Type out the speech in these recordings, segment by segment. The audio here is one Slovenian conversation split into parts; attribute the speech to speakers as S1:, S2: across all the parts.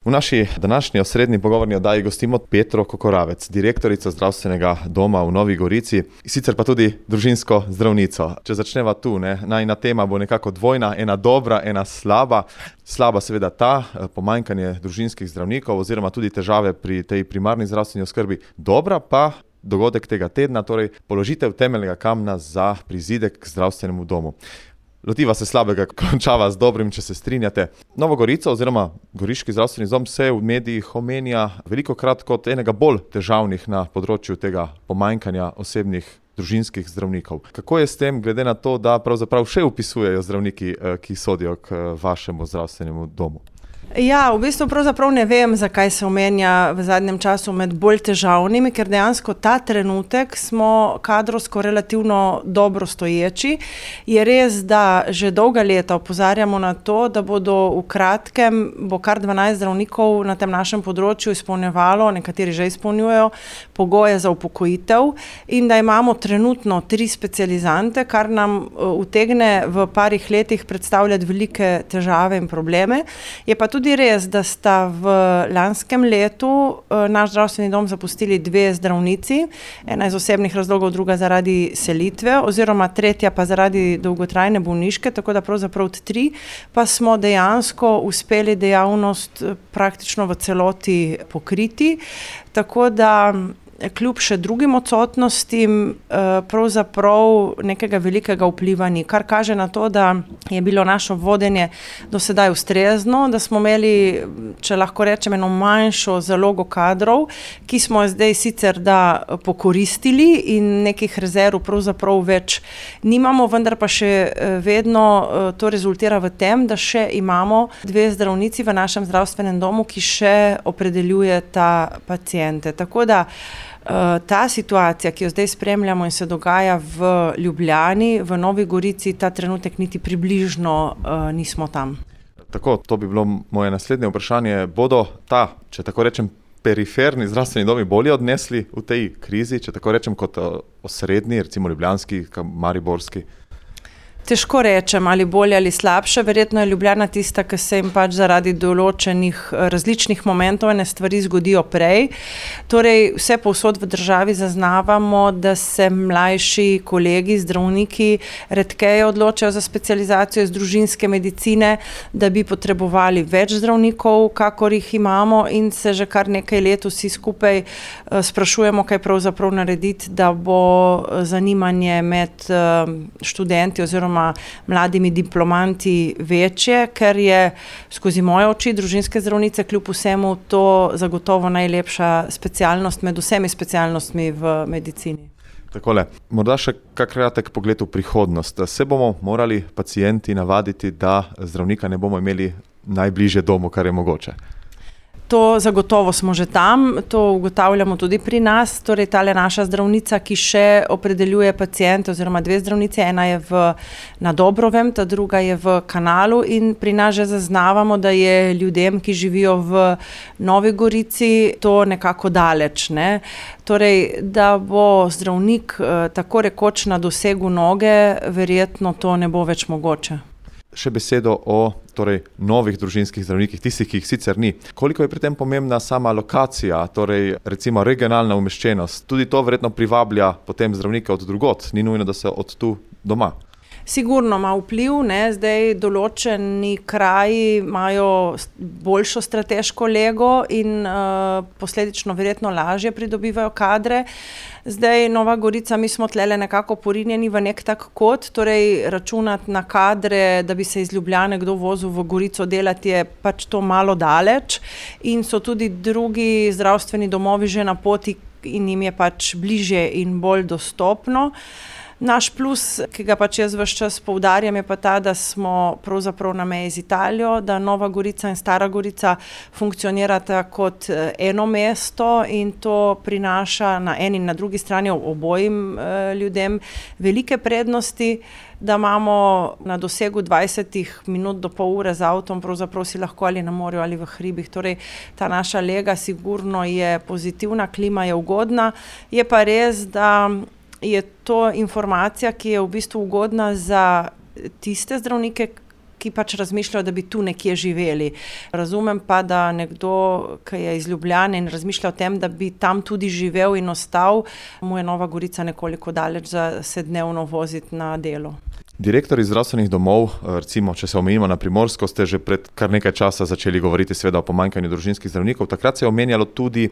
S1: V naši današnji osrednji pogovorni oddaji gostimo Petro Kokoravec, direktorico zdravstvenega doma v Novi Gorici, sicer pa tudi družinsko zdravnico. Če začneva tu, najina tema bo nekako dvojna, ena dobra, ena slaba. Slaba seveda ta, pomanjkanje družinskih zdravnikov oziroma tudi težave pri tej primarni zdravstveni oskrbi. Dobra pa dogodek tega tedna, torej položitev temeljnega kamna za prizidek k zdravstvenemu domu. Lotiva se slabega, končava z dobrim, če se strinjate. Novo Gorico oziroma Goriški zdravstveni dom se v medijih omenja velikokrat kot enega bolj težavnih na področju tega pomanjkanja osebnih družinskih zdravnikov. Kako je s tem, glede na to, da pravzaprav še vpisujejo zdravniki, ki sodijo k vašemu zdravstvenemu domu?
S2: Ja, v bistvu pravzaprav ne vem, zakaj se omenja v zadnjem času med bolj težavnimi, ker dejansko ta trenutek smo kadrovsko relativno dobro stoječi. Je res, da že dolga leta opozarjamo na to, da bodo v kratkem, bo kar 12 zdravnikov na tem našem področju izpolnjevalo, nekateri že izpolnjujejo, pogoje za upokojitev in da imamo trenutno 3 specializante, kar nam utegne v parih letih predstavljati velike težave in probleme. Je pa tudi res, da sta v lanskem letu naš zdravstveni dom zapustili 2 zdravnici, ena iz osebnih razlogov, druga zaradi selitve, oziroma tretja pa zaradi dolgotrajne bolniške, tako da pravzaprav 3, pa smo dejansko uspeli dejavnost praktično v celoti pokriti, tako da kljub še drugim odsotnostim pravzaprav nekega velikega vpliva ni, kar kaže na to, da je bilo naše vodenje do sedaj ustrezno, da smo imeli, če lahko rečem, eno manjšo zalogo kadrov, ki smo zdaj sicer pokoristili in nekih rezerv pravzaprav več nimamo, vendar pa še vedno to rezultira v tem, da še imamo 2 zdravnici v našem zdravstvenem domu, ki še opredeljujeta paciente. Tako da ta situacija, ki jo zdaj spremljamo in se dogaja v Ljubljani, v Novi Gorici, ta trenutek niti približno nismo tam.
S1: Tako, to bi bilo moje naslednje vprašanje. Bodo če tako rečem, periferni zdravstveni domi bolje odnesli v tej krizi, če tako rečem, kot osrednji, recimo ljubljanski, mariborski?
S2: Težko rečem, ali bolje ali slabše. Verjetno je Ljubljana tista, ki se jim pač zaradi določenih različnih momentov ene stvari zgodijo prej. Torej, vse povsod v državi zaznavamo, da se mlajši kolegi, zdravniki redkeje odločajo za specializacijo iz družinske medicine, da bi potrebovali več zdravnikov, kakor jih imamo, in se že kar nekaj let vsi skupaj sprašujemo, kaj pravzaprav narediti, da bo zanimanje med študenti oziroma mladimi diplomanti večje, ker je skozi moje oči družinske zdravnice kljub vsemu to zagotovo najlepša specialnost med vsemi specialnostmi v medicini.
S1: Takole, morda še kak kratek pogled v prihodnost. Se bomo morali pacienti navaditi, da zdravnika ne bomo imeli najbližje domu, kar je mogoče?
S2: To zagotovo smo že tam, to ugotavljamo tudi pri nas, torej tale naša zdravnica, ki še opredeljuje paciente, oziroma 2 zdravnice, ena je na Dobrovem, ta druga je v Kanalu, in pri nas že zaznavamo, da je ljudem, ki živijo v Novi Gorici, to nekako daleč, ne. Torej, da bo zdravnik tako rekoč na dosegu noge, verjetno to ne bo več mogoče.
S1: Še besedo o novih družinskih zdravnikih, tistih, ki jih sicer ni. Koliko je pri tem pomembna sama lokacija, torej recimo regionalna umeščenost? Tudi to verjetno privablja potem zdravnike od drugod, ni nujno, da se od tu doma.
S2: Sigurno ima vpliv, zdaj določeni kraji imajo boljšo strateško lego in posledično verjetno lažje pridobivajo kadre. Zdaj Nova Gorica, mi smo tlele nekako porinjeni v nek tak kot, torej računati na kadre, da bi se iz Ljubljane kdo vozil v Gorico delati, je pač to malo daleč, in so tudi drugi zdravstveni domovi že na poti in jim je pač bližje in bolj dostopno. Naš plus, ki ga pač jaz ves čas poudarjam, je pa ta, da smo pravzaprav na meji z Italijo, da Nova Gorica in Stara Gorica funkcionirata kot eno mesto in to prinaša na eni in na drugi strani obojim ljudem velike prednosti, da imamo na dosegu 20 minut do pol ure z avtom, pravzaprav si lahko ali na morju ali v hribih. Torej, ta naša lega sigurno je pozitivna, klima je ugodna, je pa res, da je to informacija, ki je v bistvu ugodna za tiste zdravnike, ki pač razmišljajo, da bi tu nekje živeli. Razumem pa, da nekdo, ki je iz Ljubljane in razmišlja o tem, da bi tam tudi živel in ostal, mu je Nova Gorica nekoliko daleč za se dnevno voziti na delo.
S1: Direktorji zdravstvenih domov, recimo, če se omejimo na Primorsko, ste že pred kar nekaj časa začeli govoriti seveda o pomanjkanju družinskih zdravnikov. Takrat se je omenjalo tudi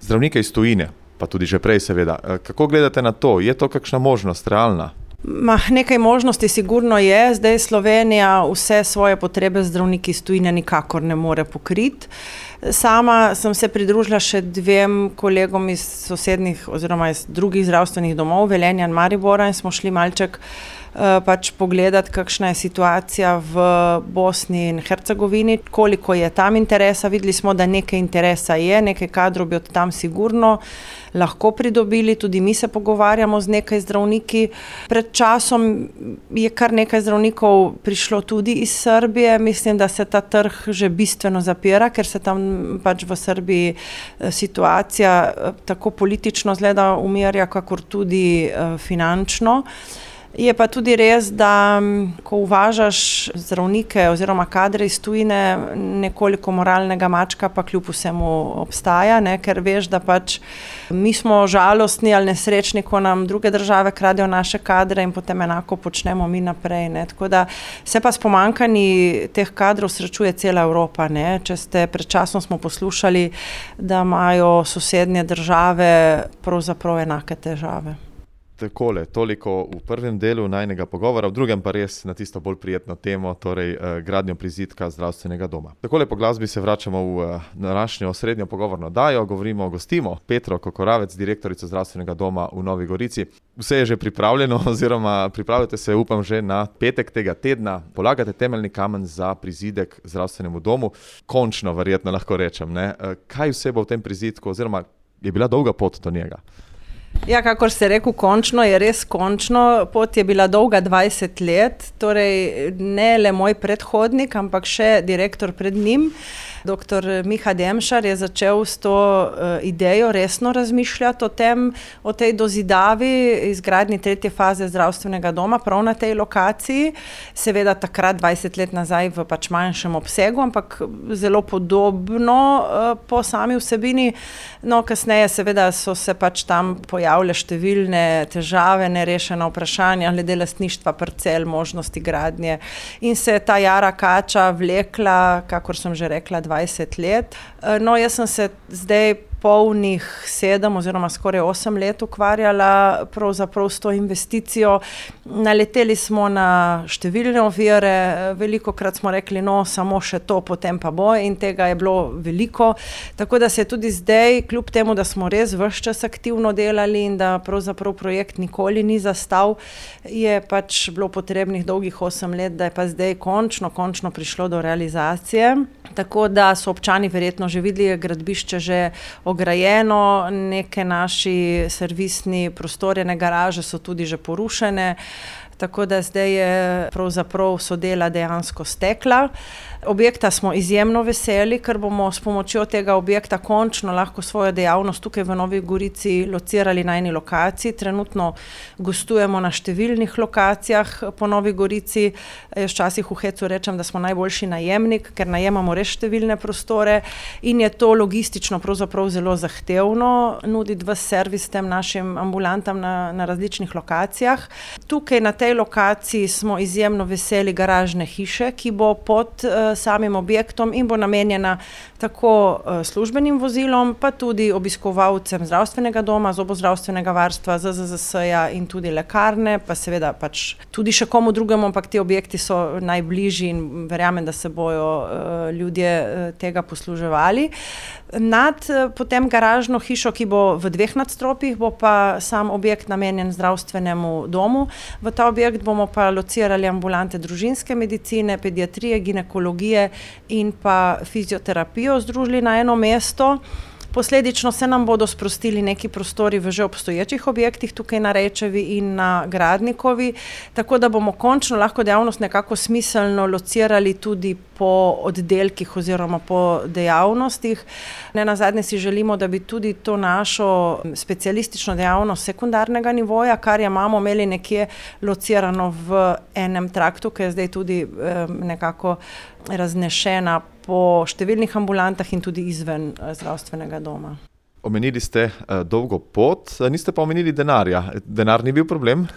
S1: zdravnike iz tujine, pa tudi že prej seveda. Kako gledate na to? Je to kakšna možnost, realna?
S2: Nekaj možnosti sigurno je. Zdaj Slovenija vse svoje potrebe zdravniki iz tujine nikakor ne more pokriti. Sama sem se pridružila še 2 kolegom iz sosednjih oziroma iz drugih zdravstvenih domov, Velenja in Maribora, in smo šli malček pač pogledati, kakšna je situacija v Bosni in Hercegovini, koliko je tam interesa. Videli smo, da nekaj interesa je, nekaj kadrov bi od tam sigurno lahko pridobili, tudi mi se pogovarjamo z nekaj zdravniki. Pred časom je kar nekaj zdravnikov prišlo tudi iz Srbije, mislim, da se ta trg že bistveno zapira, ker se tam pač v Srbiji situacija tako politično zgleda umirja, kakor tudi finančno. Je pa tudi res, da ko uvažaš zdravnike oziroma kadre iz tujine, nekoliko moralnega mačka pa kljub vsemu obstaja, ker veš, da pač mi smo žalostni ali nesrečni, ko nam druge države kradejo naše kadre in potem enako počnemo mi naprej. Tako da se pa s pomanjkanji teh kadrov srečuje cela Evropa. Pred časom smo poslušali, da imajo sosednje države pravzaprav enake težave.
S1: Takole, toliko v prvem delu najnega pogovora, v drugem pa res na tisto bolj prijetno temo, torej gradnjo prizidka zdravstvenega doma. Takole po glasbi se vračamo v današnjo osrednjo pogovorno oddajo, gostimo Petro Kokoravec, direktorico zdravstvenega doma v Novi Gorici. Vse je že pripravljeno oziroma pripravljate se, upam, že na petek tega tedna. Polagate temeljni kamen za prizidek zdravstvenemu domu. Končno, verjetno lahko rečem. Kaj vse bo v tem prizidku oziroma je bila dolga pot do njega?
S2: Ja, kakor ste rekel, končno je res končno. Pot je bila dolga 20 let, torej ne le moj predhodnik, ampak še direktor pred njim. Dr. Miha Demšar je začel s to idejo resno razmišljati o tej dozidavi izgradnji 3. faze zdravstvenega doma prav na tej lokaciji. Seveda takrat 20 let nazaj v pač manjšem obsegu, ampak zelo podobno po sami vsebini. No, kasneje seveda so se pač tam pojavile številne težave, nerešena vprašanja glede lastništva parcel, možnosti gradnje in se je ta jara kača vlekla, kakor sem že rekla, 20 let. No, jaz sem se zdaj polnih 7 oziroma skoraj 8 let ukvarjala pravzaprav s to investicijo. Naleteli smo na številne ovire, velikokrat smo rekli, no, samo še to, potem pa bo, in tega je bilo veliko. Tako da se tudi zdaj, kljub temu, da smo res ves čas aktivno delali in da pravzaprav projekt nikoli ni zastal, je pač bilo potrebnih dolgih 8 let, da je pa zdaj končno prišlo do realizacije. Tako da so občani verjetno že videli gradbišče že ograjeno, neke naši servisni prostorjene garaže so tudi že porušene, tako da zdaj je pravzaprav so dela dejansko stekla. Objekta smo izjemno veseli, ker bomo s pomočjo tega objekta končno lahko svojo dejavnost tukaj v Novi Gorici locirali na eni lokaciji. Trenutno gostujemo na številnih lokacijah po Novi Gorici. Jaz včasih v hecu rečem, da smo najboljši najemnik, ker najemamo res številne prostore in je to logistično pravzaprav zelo zahtevno nuditi ves servis tem našim ambulantam na različnih lokacijah. Tukaj na tej lokaciji smo izjemno veseli garažne hiše, ki bo pod samim objektom in bo namenjena tako službenim vozilom, pa tudi obiskovalcem zdravstvenega doma, zobozdravstvenega varstva, ZZZS-ja in tudi lekarne, pa seveda pač tudi še komu drugemu, ampak ti objekti so najbližji in verjamem, da se bojo ljudje tega posluževali. Nad potem garažno hišo, ki bo v 2 nadstropjih, bo pa sam objekt namenjen zdravstvenemu domu. V ta objekt bomo pa locirali ambulante družinske medicine, pediatrije, ginekologije in pa fizioterapijo združili na eno mesto. Posledično se nam bodo sprostili neki prostori v že obstoječih objektih tukaj na Rečevi in na Gradnikovi, tako da bomo končno lahko dejavnost nekako smiselno locirali tudi po oddelkih oziroma po dejavnostih. Nenazadnje si želimo, da bi tudi to našo specialistično dejavnost sekundarnega nivoja, kar imamo imeli nekje locirano v enem traktu, ki je zdaj tudi nekako raznešena po številnih ambulantah in tudi izven zdravstvenega doma.
S1: Omenili ste dolgo pot, niste pa omenili denarja. Denar ni bil problem?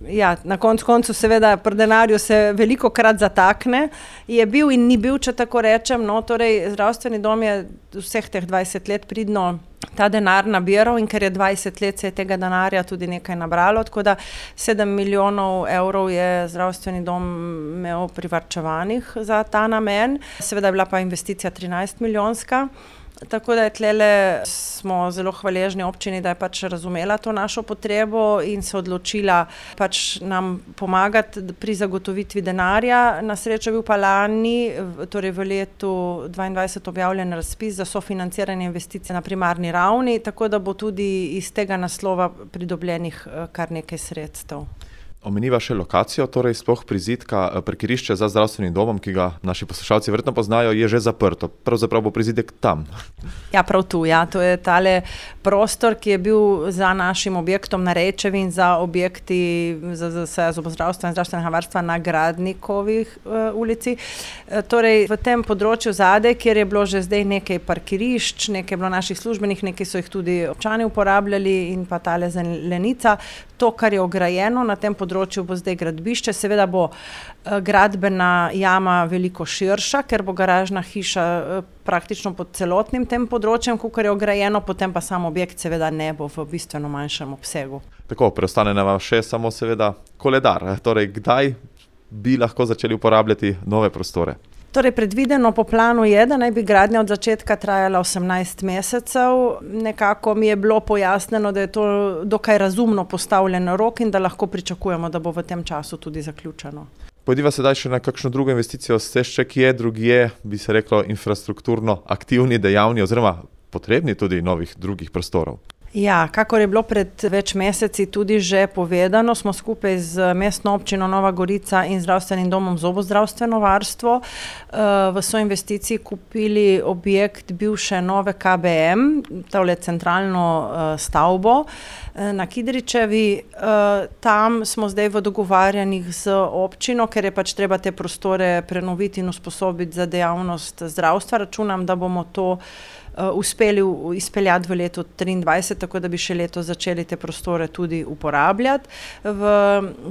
S2: Ja, na koncu seveda pri denarju se velikokrat zatakne. Je bil in ni bil, če tako rečem. No, torej, zdravstveni dom je vseh teh 20 let pridno ta denar nabiral in ker je 20 let se je tega denarja tudi nekaj nabralo, tako da 7 milijonov evrov je zdravstveni dom imel privarčevanih za ta namen. Seveda je bila pa investicija 13 milijonska. Tako da tlele smo zelo hvaležni občini, da je pač razumela to našo potrebo in se odločila pač nam pomagati pri zagotovitvi denarja. Na srečo je bil pa lani, torej v letu 2022 objavljen razpis za sofinanciranje investicij na primarni ravni, tako da bo tudi iz tega naslova pridobljenih kar nekaj sredstev.
S1: Omeniva še lokacijo, torej sploh prizidka, parkirišče za zdravstvenim domom, ki ga naši poslušalci verjetno poznajo, je že zaprto. Pravzaprav bo prizidek tam.
S2: Ja, prav tu, ja. To je tale prostor, ki je bil za našim objektom na Rečevi in za objekti za zobozdravstva in zdravstvenega varstva na Gradnikovi ulici. Torej, v tem področju zadaj, kjer je bilo že zdaj nekaj parkirišč, nekaj je bilo naših službenih, nekaj so jih tudi občani uporabljali in pa tale zelenica. To, kar je ograjeno na tem področju, bo zdaj gradbišče. Seveda bo gradbena jama veliko širša, ker bo garažna hiša praktično pod celotnim tem področjem, kakor je ograjeno, potem pa sam objekt seveda ne bo v bistveno manjšem obsegu.
S1: Tako, preostane nam še samo seveda koledar. Torej, kdaj bi lahko začeli uporabljati nove prostore?
S2: Torej, predvideno po planu je, da naj bi gradnja od začetka trajala 18 mesecev. Nekako mi je bilo pojasnjeno, da je to dokaj razumno postavljen rok in da lahko pričakujemo, da bo v tem času tudi zaključeno.
S1: Pojdiva sedaj še na kakšno drugo investicijo. Ste še kje drugje, bi se reklo, infrastrukturno aktivni, dejavni oziroma potrebni tudi novih drugih prostorov?
S2: Ja, kakor je bilo pred več meseci tudi že povedano, smo skupaj z mestno občino Nova Gorica in zdravstvenim domom Zobozdravstveno varstvo v soinvesticiji kupili objekt bivše nove KBM, tole centralno stavbo na Kidričevi. Tam smo zdaj v dogovarjanjih z občino, ker je pač treba te prostore prenoviti in usposobiti za dejavnost zdravstva. Računam, da bomo to uspeli izpeljati v letu 2023, tako da bi še leto začeli te prostore tudi uporabljati. V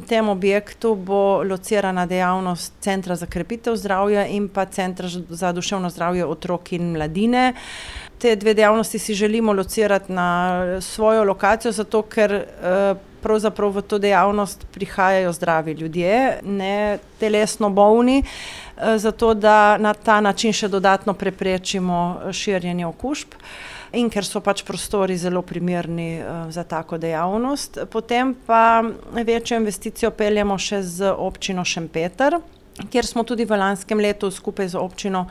S2: tem objektu bo locirana dejavnost Centra za krepitev zdravja in pa Centra za duševno zdravje otrok in mladine. Te dve dejavnosti si želimo locirati na svojo lokacijo, zato ker pravzaprav v to dejavnost prihajajo zdravi ljudje, ne telesno bolni, zato da na ta način še dodatno preprečimo širjenje okužb in ker so pač prostori zelo primerni za tako dejavnost. Potem pa večjo investicijo peljemo še z občino Šempeter, kjer smo tudi v lanskem letu skupaj z občino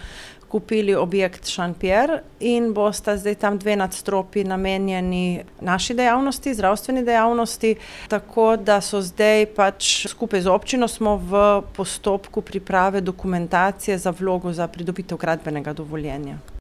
S2: kupili objekt Šanpjer in bosta zdaj tam 2 nadstropji namenjeni naši dejavnosti, zdravstveni dejavnosti, tako da so zdaj pač skupaj z občino smo v postopku priprave dokumentacije za vlogo za pridobitev gradbenega dovoljenja.